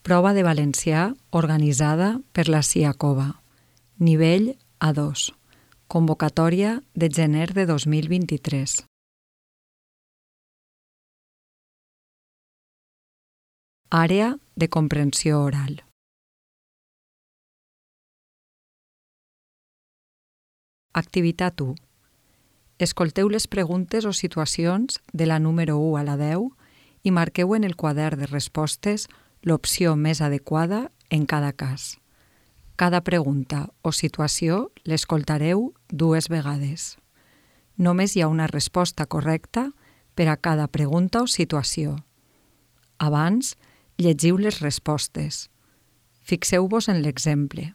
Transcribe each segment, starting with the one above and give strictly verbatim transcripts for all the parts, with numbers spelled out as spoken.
Prova de valencià organitzada per la CIACOVA. Nivell A dos. Convocatòria de gener de dos mil vint-i-tres. Àrea de comprensió oral. Activitat u. Escolteu les preguntes o situacions de la número u a la deu i marqueu en el quadern de respostes l'opció més adequada en cada cas. Cada pregunta o situació l'escoltareu dues vegades. Només hi ha una resposta correcta per a cada pregunta o situació. Abans, llegiu les respostes. Fixeu-vos en l'exemple.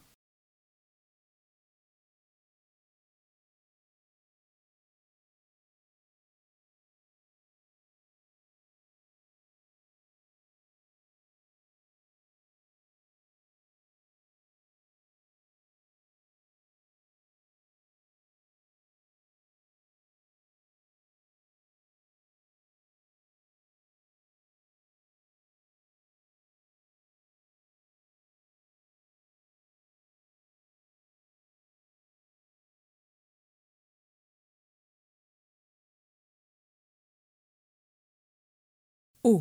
u.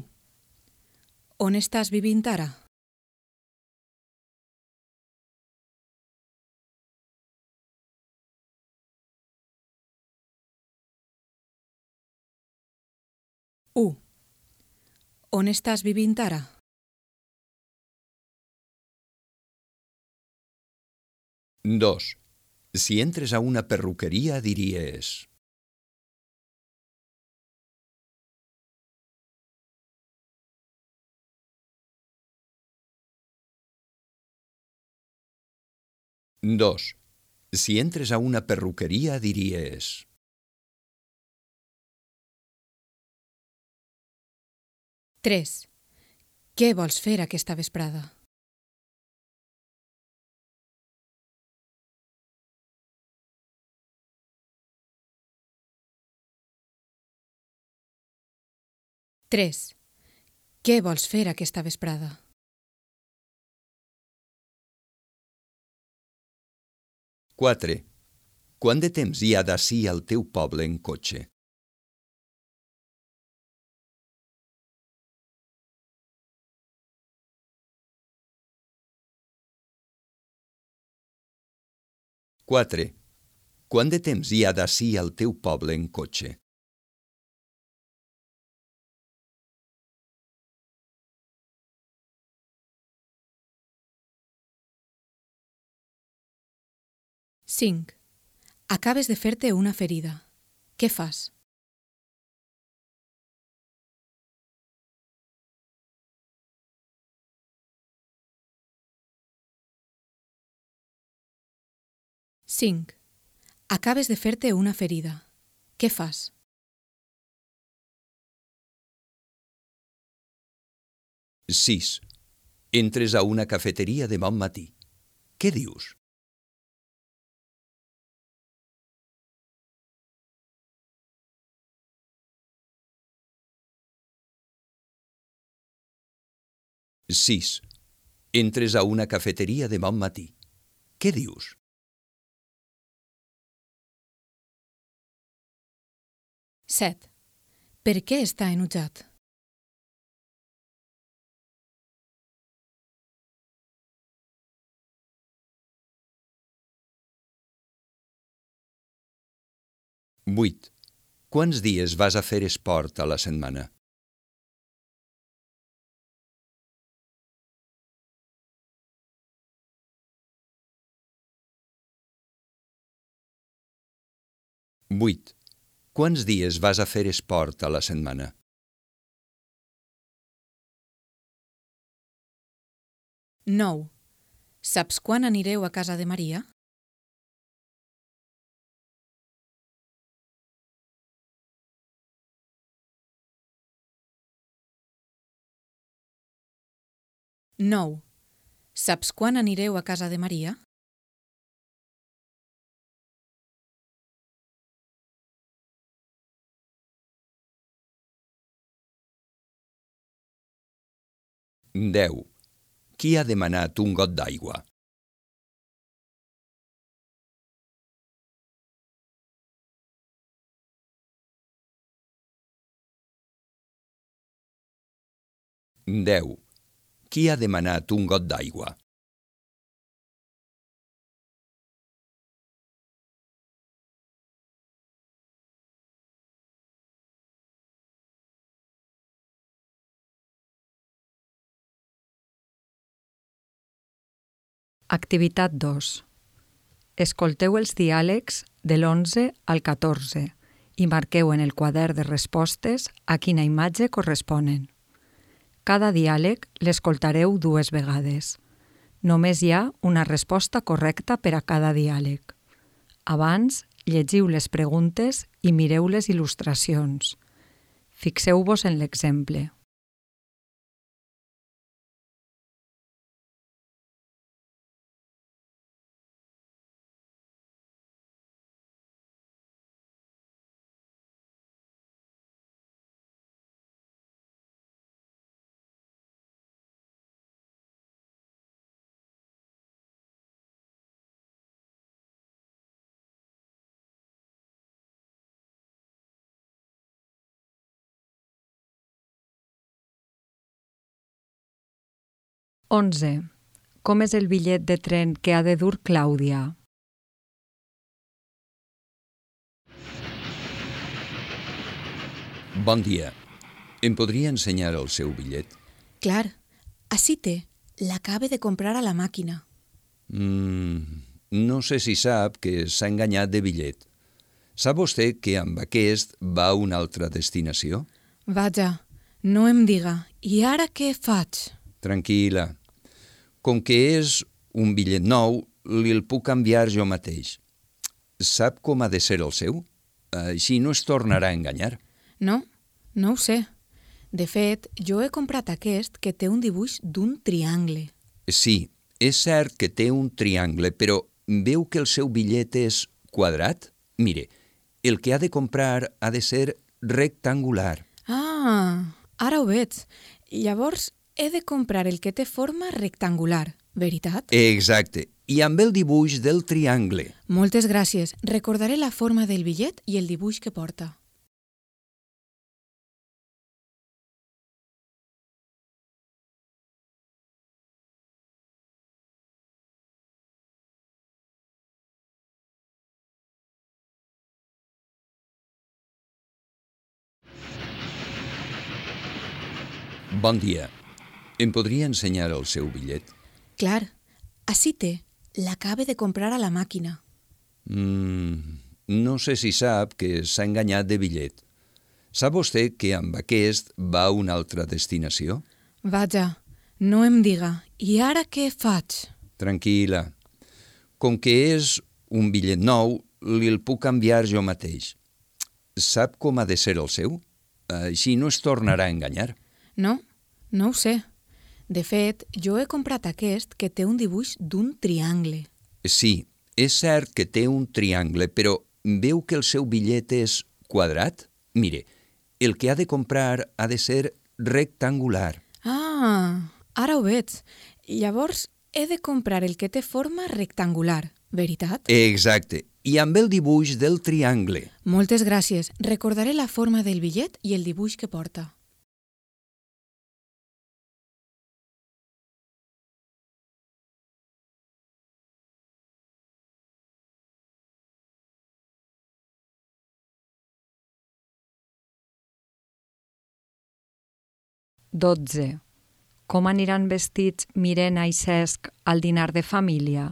On estàs vivint ara? u. On estàs vivint ara? dos. Si entres a una perruqueria diries... dos. Si entres a una perruqueria diries... tres. Què vols fer aquesta vesprada? tres. Què vols fer aquesta vesprada? quatre. Quant de temps hi ha d'ací al teu poble en cotxe? quatre. Quant de temps hi ha d'ací al teu poble en cotxe? cinc. Acabes de fer-te una ferida. Què fas? cinc. Acabes de fer-te una ferida. Què fas? sis. Entres a una cafeteria de bon matí. Què dius? sis. Entres a una cafeteria de bon matí. Què dius? set. Per què està enutjat? vuit. Quants dies vas a fer esport a la setmana? vuit. Quants dies vas a fer esport a la setmana? nou. Saps quan anireu a casa de Maria? nou. Saps quan anireu a casa de Maria? deu. Qui ha demanat un got d'aigua? deu. Qui ha demanat un got d'aigua? Activitat dos. Escolteu els diàlegs de l'onze al catorze i marqueu en el quadern de respostes a quina imatge corresponen. Cada diàleg l'escoltareu dues vegades. Només hi ha una resposta correcta per a cada diàleg. Abans, llegiu les preguntes i mireu les il·lustracions. Fixeu-vos en l'exemple. onze. Com és el bitllet de tren que ha de dur Clàudia? Bon dia. Em podria ensenyar el seu bitllet? Clar, ací té. L'acabe de comprar a la màquina. Mm, no sé si sap que s'ha enganyat de bitllet. Sap vostè que amb aquest va a una altra destinació? Vaja, no em diga. I ara què faig? Tranquil·la. Com que és un bitllet nou, li'l puc canviar jo mateix. Sap com ha de ser el seu? Així no es tornarà a enganyar. No, no ho sé. De fet, jo he comprat aquest que té un dibuix d'un triangle. Sí, és cert que té un triangle, però veu que el seu bitllet és quadrat? Mire, el que ha de comprar ha de ser rectangular. Ah, ara ho veig. Llavors, he de comprar el que té forma rectangular, veritat? Exacte, i amb el dibuix del triangle. Moltes gràcies. Recordaré la forma del bitllet i el dibuix que porta. Bon dia. Em podria ensenyar el seu bitllet? Clar, ací té. L'acabe de comprar a la màquina. Mm, no sé si sap que s'ha enganyat de bitllet. Sap vostè que amb aquest va a una altra destinació? Vaja, no em diga. I ara què faig? Tranquil·la. Com que és un bitllet nou, li'l puc canviar jo mateix. Sap com ha de ser el seu? Així no es tornarà a enganyar. No, no ho sé. De fet, jo he comprat aquest que té un dibuix d'un triangle. Sí, és cert que té un triangle, però veu que el seu bitllet és quadrat? Mire, el que ha de comprar ha de ser rectangular. Ah, ara ho veig. Llavors, he de comprar el que té forma rectangular, veritat? Exacte, i amb el dibuix del triangle. Moltes gràcies. Recordaré la forma del bitllet i el dibuix que porta. dotze. Com aniran vestits Mirena i Cesc al dinar de família?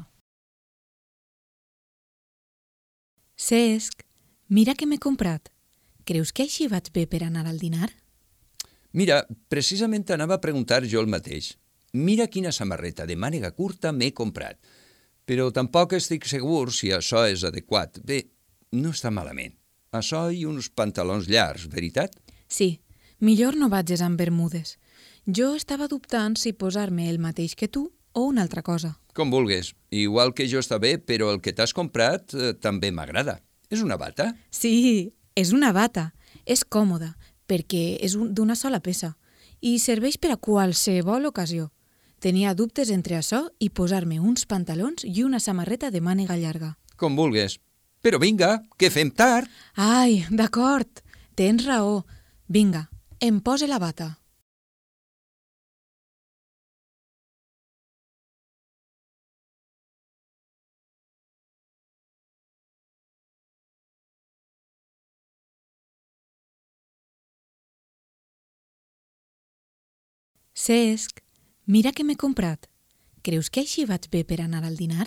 Cesc, mira què m'he comprat. Creus que així vaig bé per anar al dinar? Mira, precisament anava a preguntar jo el mateix. Mira quina samarreta de mànega curta m'he comprat. Però tampoc estic segur si això és adequat. Bé, no està malament. Això i uns pantalons llargs, veritat? Sí, millor no vagis amb bermudes. Jo estava dubtant si posar-me el mateix que tu o una altra cosa. Com vulguis. Igual que jo està bé, però el que t'has comprat eh, també m'agrada. És una bata? Sí, és una bata. És còmoda, perquè és d'una sola peça i serveix per a qualsevol ocasió. Tenia dubtes entre això i posar-me uns pantalons i una samarreta de màniga llarga. Com vulgues. Però vinga, que fem tard. Ai, d'acord, tens raó. Vinga, em pose la bata. Cesc, mira què m'he comprat. Creus que així vaig bé per anar al dinar?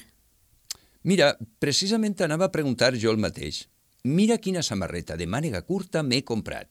Mira, precisament anava a preguntar jo el mateix. Mira quina samarreta de màniga curta m'he comprat.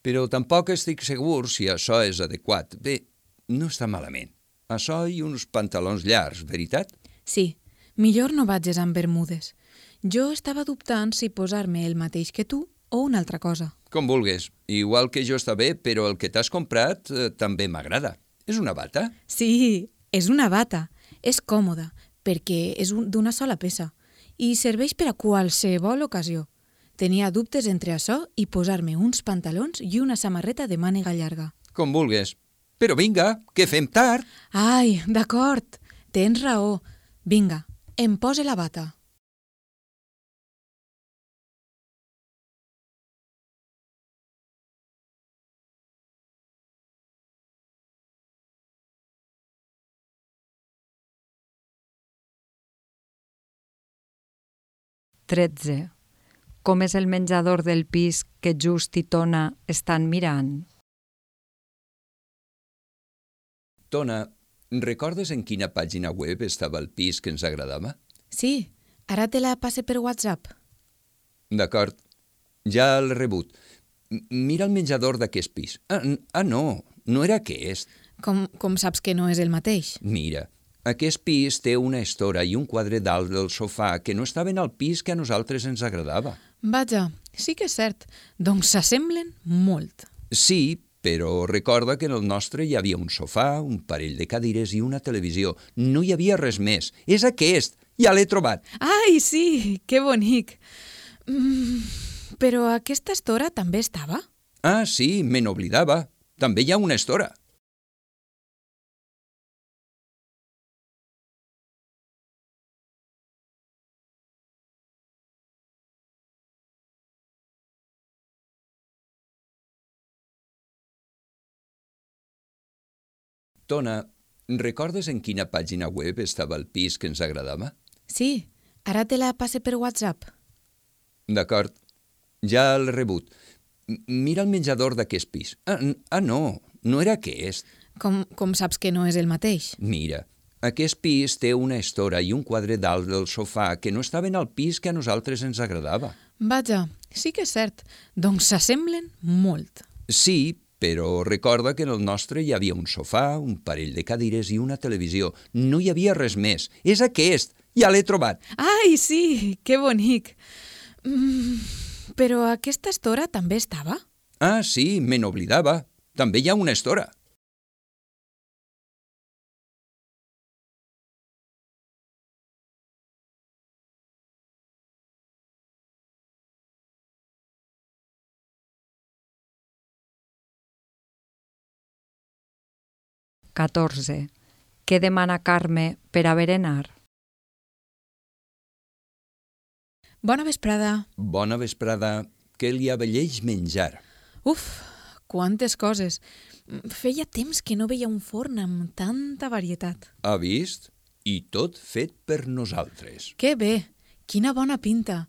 Però tampoc estic segur si això és adequat. Bé, no està malament. Això i uns pantalons llargs, veritat? Sí, millor no vagis amb bermudes. Jo estava dubtant si posar-me el mateix que tu o una altra cosa. Com vulgues. Igual que jo està bé, però el que t'has comprat eh, també m'agrada. És una bata? Sí, és una bata. És còmoda, perquè és un- d'una sola peça i serveix per a qualsevol ocasió. Tenia dubtes entre això i posar-me uns pantalons i una samarreta de màniga llarga. Com vulgues. Però vinga, que fem tard. Ai, d'acord, tens raó. Vinga, em pose la bata. tretze. Com és el menjador del pis que Just i Tona estan mirant? Tona, recordes en quina pàgina web estava el pis que ens agradava? Sí, ara te la passe per WhatsApp. D'acord, ja l'he rebut. M- Mira el menjador d'aquest pis. Ah, n- ah, no, no era aquest. Com, com saps que no és el mateix? Mira, aquest pis té una estora i un quadre dalt del sofà que no estaven al pis que a nosaltres ens agradava. Vaja, sí que és cert. Doncs s'assemblen molt. Sí, però recorda que en el nostre hi havia un sofà, un parell de cadires i una televisió. No hi havia res més. És aquest! Ja l'he trobat! Ai, sí, que bonic. Mm, però aquesta estora també estava? Ah, sí, me n'oblidava. També hi ha una estora. Tona, recordes en quina pàgina web estava el pis que ens agradava? Sí, ara te la passe per WhatsApp. D'acord, ja l'he rebut. M- Mira el menjador d'aquest pis. Ah, n- ah, no, no era aquest. Com, com saps que no és el mateix? Mira, aquest pis té una estora i un quadre dalt del sofà que no estaven al pis que a nosaltres ens agradava. Vaja, sí que és cert. Doncs s'assemblen molt. Sí, però recorda que en el nostre hi havia un sofà, un parell de cadires i una televisió. No hi havia res més. És aquest! Ja l'he trobat! Ai, sí, que bonic. Mm, però aquesta estora també estava? Ah, sí, me n'oblidava. També hi ha una estora. catorze. Què demana Carme per a berenar? Bona vesprada. Bona vesprada. Què li avelleix menjar? Uf, quantes coses. Mm, Feia temps que no veia un forn amb tanta varietat. Ha vist? I tot fet per nosaltres. Que bé, quina bona pinta.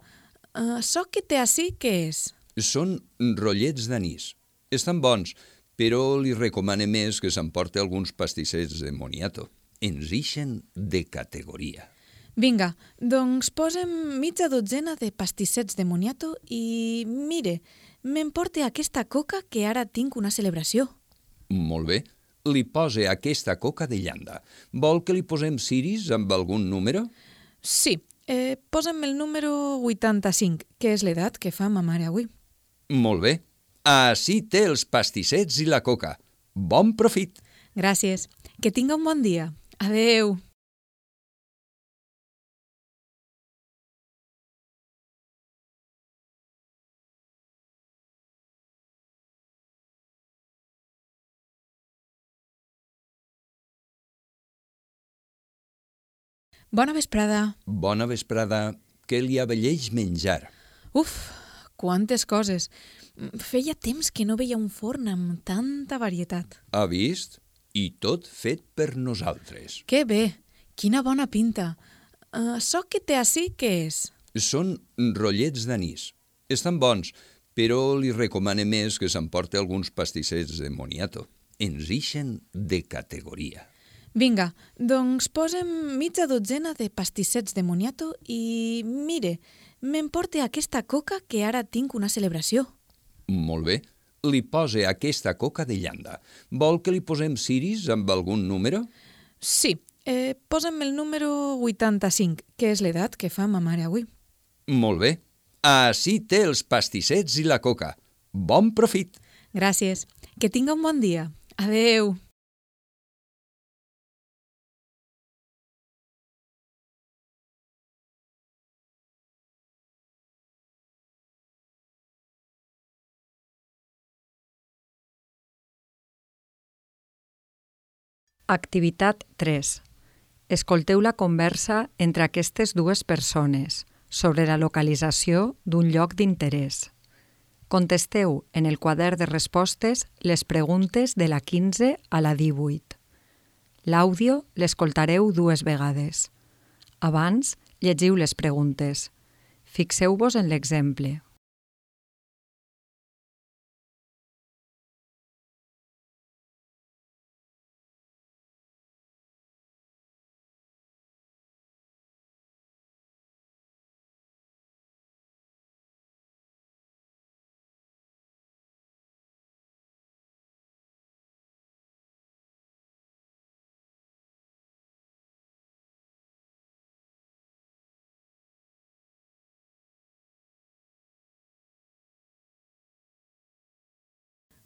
Uh, Açò que té ací, què és? Són rotllets d'anís. Estan bons, però li recomane més que s'emporte alguns pastissets de moniato. Ens ixen de categoria. Vinga, doncs posem mitja dotzena de pastissets de moniato i, mire, m'emporte aquesta coca que ara tinc una celebració. Molt bé. Li pose aquesta coca de llanda. Vol que li posem ciris amb algun número? Sí, eh, posa'm el número vuitanta-cinc, que és l'edat que fa ma mare avui. Molt bé. Ací té els pastissets i la coca. Bon profit! Gràcies. Que tinga un bon dia. Adeu. Bona vesprada. Bona vesprada. Què li abelleix menjar? Uf, quantes coses. Feia temps que no veia un forn amb tanta varietat. Ha vist? I tot fet per nosaltres. Que bé, quina bona pinta. Uh, Açò que té ací, què és? Són rotllets d'anís. Estan bons, però li recomane més que s'emporte alguns pastissets de moniato. Ens ixen de categoria. Vinga, doncs posem mitja dotzena de pastissets de moniato i, mire, m'emporte aquesta coca que ara tinc una celebració. Molt bé. Li pose aquesta coca de llanda. Vol que li posem ciris amb algun número? Sí, eh, posa'm el número vuitanta-cinc, que és l'edat que fa ma mare avui. Molt bé. Ací té els pastissets i la coca. Bon profit! Gràcies. Que tinga un bon dia. Adeu. Activitat tres. Escolteu la conversa entre aquestes dues persones sobre la localització d'un lloc d'interès. Contesteu en el quadern de respostes les preguntes de la quinze a la divuit. L'àudio l'escoltareu dues vegades. Abans, llegiu les preguntes. Fixeu-vos en l'exemple.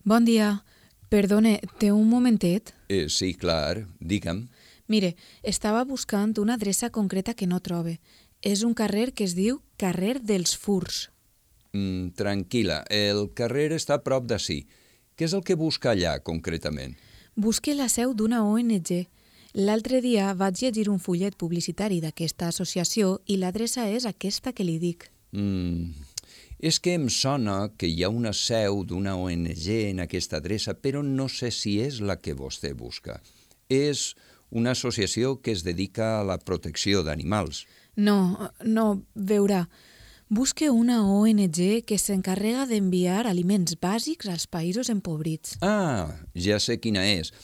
Bon dia. Perdone, té un momentet? Eh, sí, clar. Digue'm. Mire, estava buscant una adreça concreta que no trobe. És un carrer que es diu Carrer dels Furs. Mm, tranquil·la, el carrer està a prop d'ací. Què és el que busca allà, concretament? Busque la seu d'una O N G. L'altre dia vaig llegir un fullet publicitari d'aquesta associació i l'adreça és aquesta que li dic. Mm, és que em sona que hi ha una seu d'una O N G en aquesta adreça, però no sé si és la que vostè busca. És una associació que es dedica a la protecció d'animals. No, no, veurà. Busque una O N G que s'encarrega d'enviar aliments bàsics als països empobrits. Ah, ja sé quina és.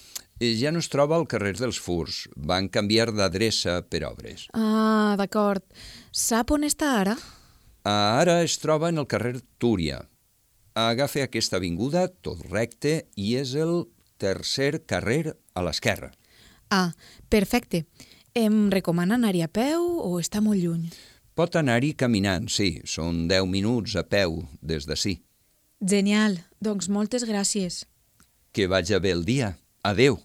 Eh, Ja no es troba al carrer dels Furs. Van canviar d'adreça per obres. Ah, d'acord. Sap on està ara? Ara es troba en el carrer Túria. Agafa aquesta avinguda tot recte i és el tercer carrer a l'esquerra. Ah, perfecte. Em recomana anar-hi a peu o està molt lluny? Pot anar-hi caminant, sí. Són deu minuts a peu des d'ací. Genial. Doncs moltes gràcies. Que vagi bé el dia. Adeu.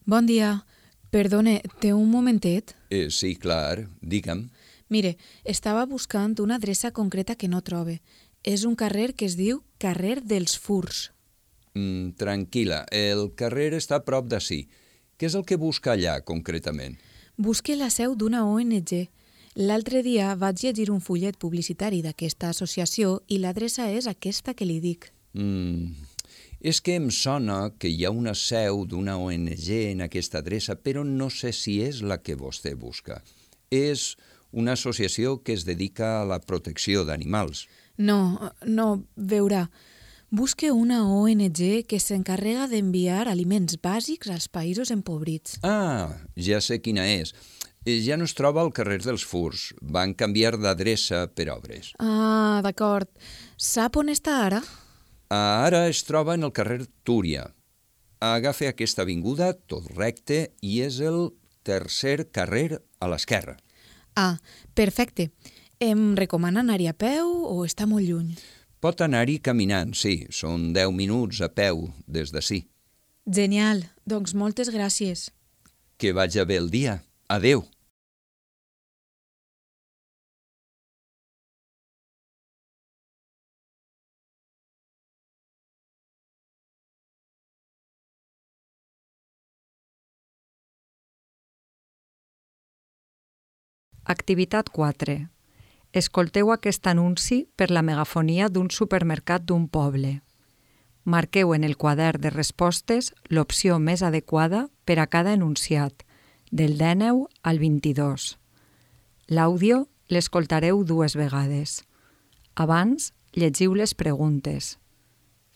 Bon dia. Perdone, té un momentet? Eh, sí, clar. Digue'm. Mire, estava buscant una adreça concreta que no trobe. És un carrer que es diu Carrer dels Furs. Mm, tranquil·la, el carrer està a prop d'ací. Què és el que busca allà, concretament? Busque la seu d'una O N G. L'altre dia vaig llegir un fullet publicitari d'aquesta associació i l'adreça és aquesta que li dic. Mm, és que em sona que hi ha una seu d'una O N G en aquesta adreça, però no sé si és la que vostè busca. És una associació que es dedica a la protecció d'animals. No, no, veurà. Busque una O N G que s'encarrega d'enviar aliments bàsics als països empobrits. Ah, ja sé quina és. Eh, Ja no es troba al carrer dels Furs. Van canviar d'adreça per obres. Ah, d'acord. Sap on està ara? Ara es troba en el carrer Túria. Agafa aquesta avinguda tot recte i és el tercer carrer a l'esquerra. Ah, perfecte. Em recomana anar-hi a peu o està molt lluny? Pot anar-hi caminant, sí. Són deu minuts a peu des d'ací. Genial. Doncs moltes gràcies. Que vagi bé el dia. Adeu. Activitat quatre. Escolteu aquest anunci per la megafonia d'un supermercat d'un poble. Marqueu en el quadern de respostes l'opció més adequada per a cada enunciat, del dènou al vint-i-dos. L'àudio l'escoltareu dues vegades. Abans, llegiu les preguntes.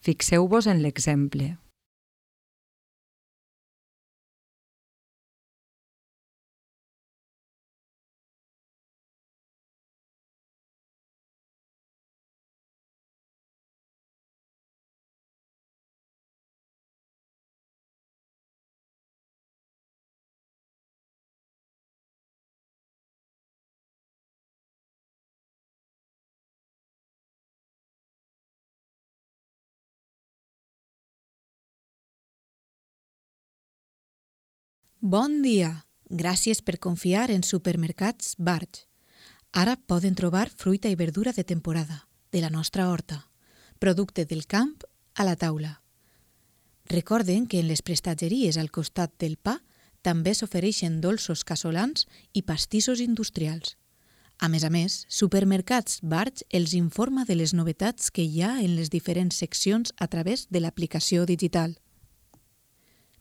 Fixeu-vos en l'exemple. Bon dia! Gràcies per confiar en Supermercats Barge. Ara poden trobar fruita i verdura de temporada, de la nostra horta. Producte del camp a la taula. Recorden que en les prestatgeries al costat del pa també s'ofereixen dolços casolans i pastissos industrials. A més a més, Supermercats Barge els informa de les novetats que hi ha en les diferents seccions a través de l'aplicació digital.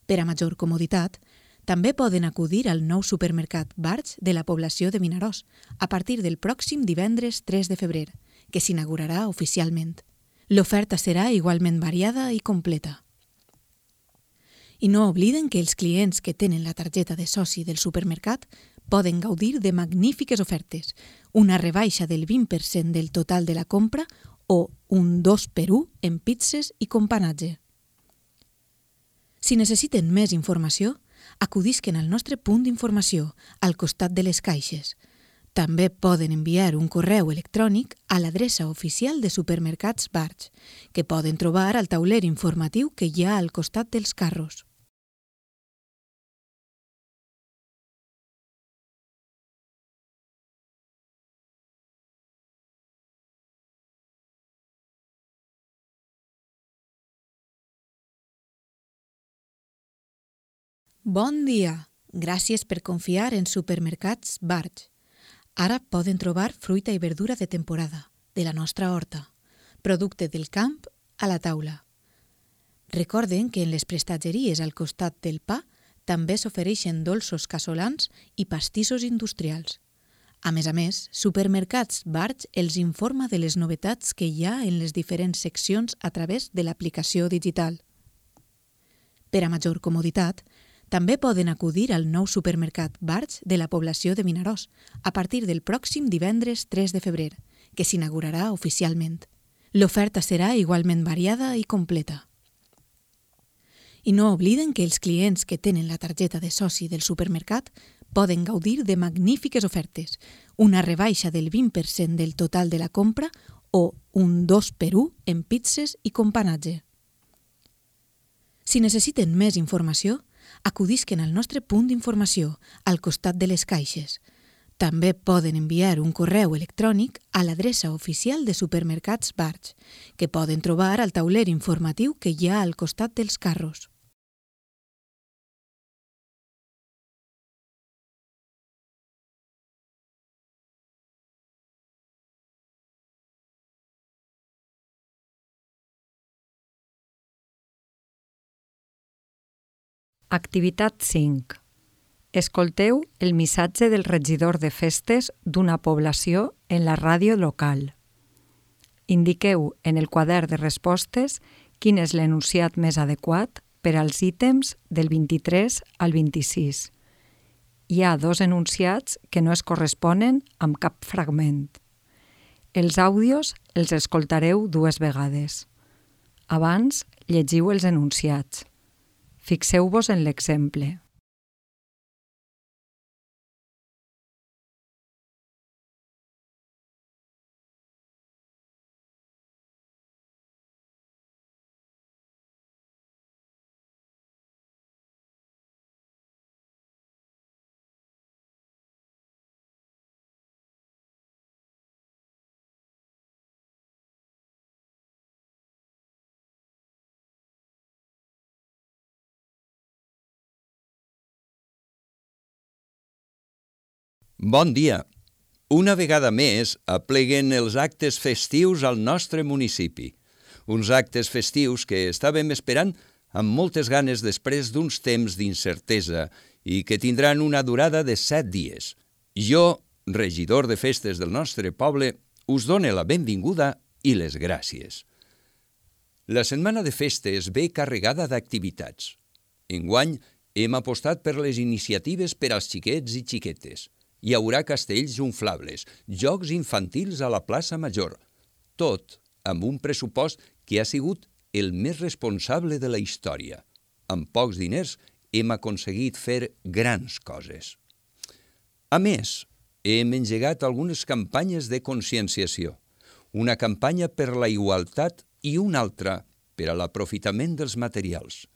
Per a major comoditat, també poden acudir al nou supermercat Barge de la població de Vinaròs a partir del pròxim divendres tres de febrer, que s'inaugurarà oficialment. L'oferta serà igualment variada i completa. I no obliden que els clients que tenen la targeta de soci del supermercat poden gaudir de magnífiques ofertes, una rebaixa del vint per cent del total de la compra o un dos per u en pizzas i companatge. Si necessiten més informació, acudisquen al nostre punt d'informació, al costat de les caixes. També poden enviar un correu electrònic a l'adreça oficial de Supermercats Barge, que poden trobar al tauler informatiu que hi ha al costat dels carros. Bon dia! Gràcies per confiar en Supermercats Barge. Ara poden trobar fruita i verdura de temporada, de la nostra horta. Producte del camp a la taula. Recorden que en les prestatgeries al costat del pa també s'ofereixen dolços casolans i pastissos industrials. A més a més, Supermercats Barge els informa de les novetats que hi ha en les diferents seccions a través de l'aplicació digital. Per a major comoditat, també poden acudir al nou supermercat Barge de la població de Vinaròs a partir del pròxim divendres tres de febrer, que s'inaugurarà oficialment. L'oferta serà igualment variada i completa. I no obliden que els clients que tenen la targeta de soci del supermercat poden gaudir de magnífiques ofertes, una rebaixa del vint per cent del total de la compra o un dos per u en pizzas i companatge. Si necessiten més informació, acudisquen al nostre punt d'informació, al costat de les caixes. També poden enviar un correu electrònic a l'adreça oficial de Supermercats Barge, que poden trobar al tauler informatiu que hi ha al costat dels carros. Activitat cinc. Escolteu el missatge del regidor de festes d'una població en la ràdio local. Indiqueu en el quadern de respostes quin és l'enunciat més adequat per als ítems del vint-i-tres al vint-i-sis. Hi ha dos enunciats que no es corresponen amb cap fragment. Els àudios els escoltareu dues vegades. Abans, llegiu els enunciats. Fixeu-vos en l'exemple. Bon dia! Una vegada més apleguen els actes festius al nostre municipi. Uns actes festius que estàvem esperant amb moltes ganes després d'uns temps d'incertesa i que tindran una durada de set dies. Jo, regidor de festes del nostre poble, us dono la benvinguda i les gràcies. La setmana de festes ve carregada d'activitats. Enguany hem apostat per les iniciatives per als xiquets i xiquetes. Hi haurà castells inflables, jocs infantils a la plaça Major, tot amb un pressupost que ha sigut el més responsable de la història. Amb pocs diners hem aconseguit fer grans coses. A més, hem engegat algunes campanyes de conscienciació. Una campanya per la igualtat i una altra per a l'aprofitament dels materials.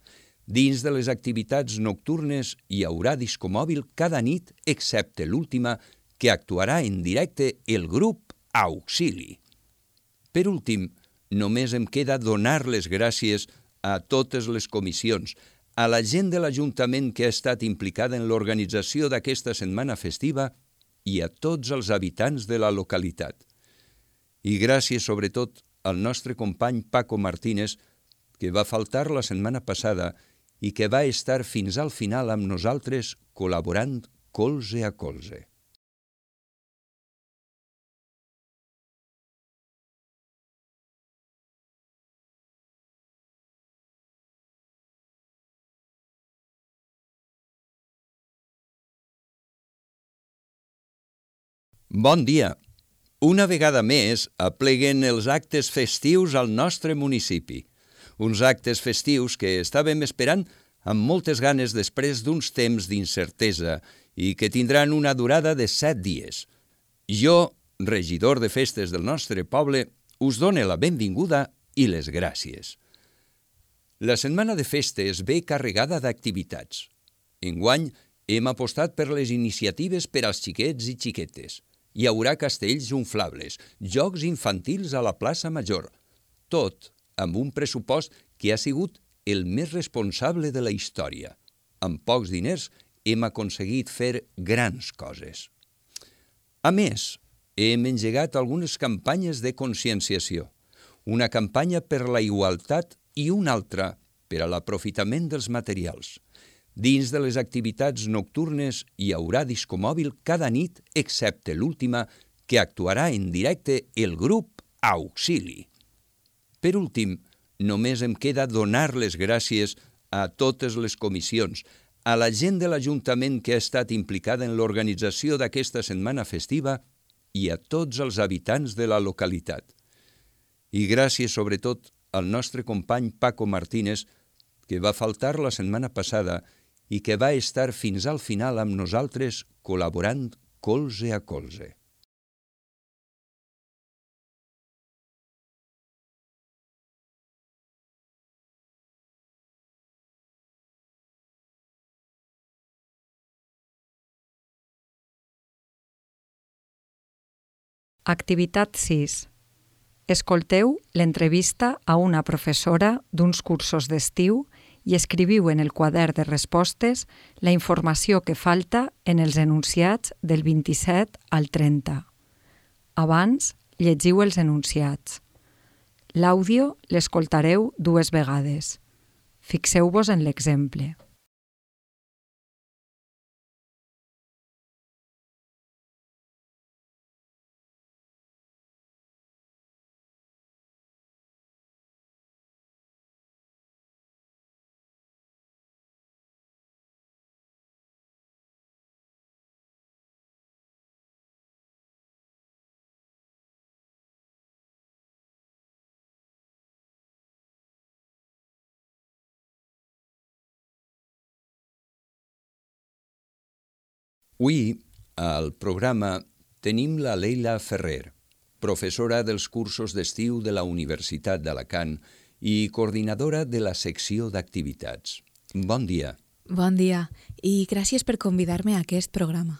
Dins de les activitats nocturnes hi haurà discomòbil cada nit, excepte l'última, que actuarà en directe el grup Auxili. Per últim, només em queda donar les gràcies a totes les comissions, a la gent de l'Ajuntament que ha estat implicada en l'organització d'aquesta setmana festiva i a tots els habitants de la localitat. I gràcies sobretot al nostre company Paco Martínez, que va faltar la setmana passada i que va estar fins al final amb nosaltres col·laborant colze a colze. Bon dia! Una vegada més apleguen els actes festius al nostre municipi. Uns actes festius que estàvem esperant amb moltes ganes després d'uns temps d'incertesa i que tindran una durada de set dies. Jo, regidor de festes del nostre poble, us dono la benvinguda i les gràcies. La setmana de festes ve carregada d'activitats. Enguany hem apostat per les iniciatives per als xiquets i xiquetes. Hi haurà castells inflables, jocs infantils a la plaça Major, tot amb un pressupost que ha sigut el més responsable de la història. Amb pocs diners hem aconseguit fer grans coses. A més, hem engegat algunes campanyes de conscienciació. Una campanya per la igualtat i una altra per a l'aprofitament dels materials. Dins de les activitats nocturnes hi haurà discomòbil cada nit, excepte l'última, que actuarà en directe el grup Auxili. Per últim, només em queda donar les gràcies a totes les comissions, a la gent de l'Ajuntament que ha estat implicada en l'organització d'aquesta setmana festiva i a tots els habitants de la localitat. I gràcies sobretot al nostre company Paco Martínez, que va faltar la setmana passada i que va estar fins al final amb nosaltres col·laborant colze a colze. Activitat sis. Escolteu l'entrevista a una professora d'uns cursos d'estiu i escriviu en el quadern de respostes la informació que falta en els enunciats del vint-i-set al trenta. Abans, llegiu els enunciats. L'àudio l'escoltareu dues vegades. Fixeu-vos en l'exemple. Avui, al programa, tenim la Leila Ferrer, professora dels cursos d'estiu de la Universitat d'Alacant i coordinadora de la secció d'activitats. Bon dia. Bon dia, i gràcies per convidar-me a aquest programa.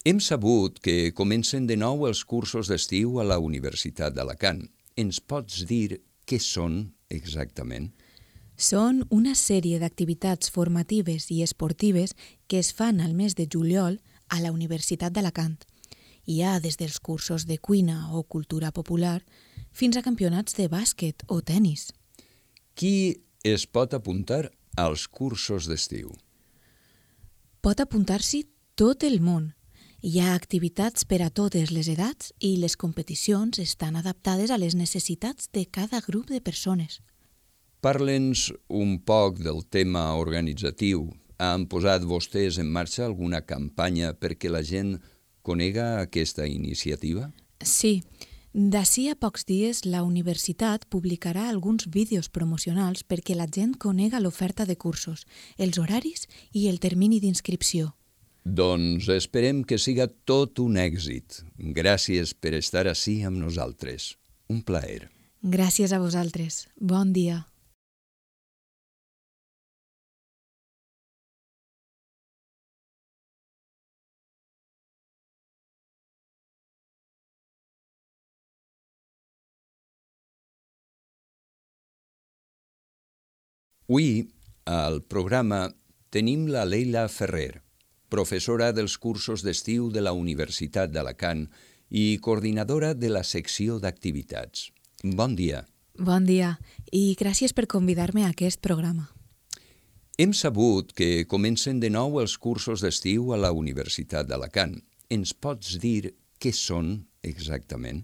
Hem sabut que comencen de nou els cursos d'estiu a la Universitat d'Alacant. Ens pots dir què són exactament? Són una sèrie d'activitats formatives i esportives que es fan al mes de juliol a la Universitat d'Alacant Hi ha des dels cursos de cuina o cultura popular fins a campionats de bàsquet o tennis. Qui es pot apuntar als cursos d'estiu? Pot apuntar-s'hi tot el món. Hi ha activitats per a totes les edats i les competicions estan adaptades a les necessitats de cada grup de persones. Parla'ns un poc del tema organitzatiu. Han posat vostès en marxa alguna campanya perquè la gent conega aquesta iniciativa? Sí. D'ací a pocs dies, la universitat publicarà alguns vídeos promocionals perquè la gent conega l'oferta de cursos, els horaris i el termini d'inscripció. Doncs esperem que siga tot un èxit. Gràcies per estar ací amb nosaltres. Un plaer. Gràcies a vosaltres. Bon dia. Avui, al programa, tenim la Leila Ferrer, professora dels cursos d'estiu de la Universitat d'Alacant i coordinadora de la secció d'activitats. Bon dia. Bon dia i gràcies per convidar-me a aquest programa. Hem sabut que comencen de nou els cursos d'estiu a la Universitat d'Alacant. Ens pots dir què són exactament?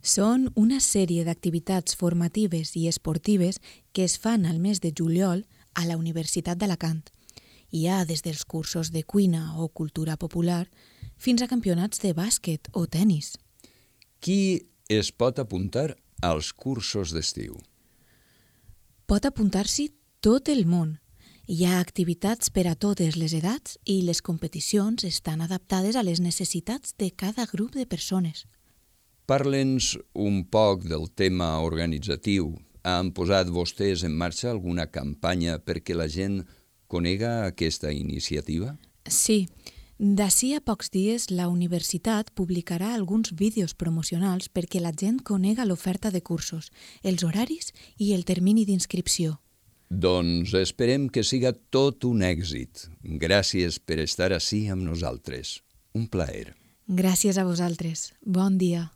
Són una sèrie d'activitats formatives i esportives que es fan al mes de juliol a la Universitat d'Alacant. Hi ha des dels cursos de cuina o cultura popular fins a campionats de bàsquet o tennis. Qui es pot apuntar als cursos d'estiu? Pot apuntar-s'hi tot el món. Hi ha activitats per a totes les edats i les competicions estan adaptades a les necessitats de cada grup de persones. Parla'ns un poc del tema organitzatiu. Han posat vostès en marxa alguna campanya perquè la gent conega aquesta iniciativa? Sí. D'ací a pocs dies, la universitat publicarà alguns vídeos promocionals perquè la gent conega l'oferta de cursos, els horaris i el termini d'inscripció. Doncs esperem que siga tot un èxit. Gràcies per estar ací amb nosaltres. Un plaer. Gràcies a vosaltres. Bon dia.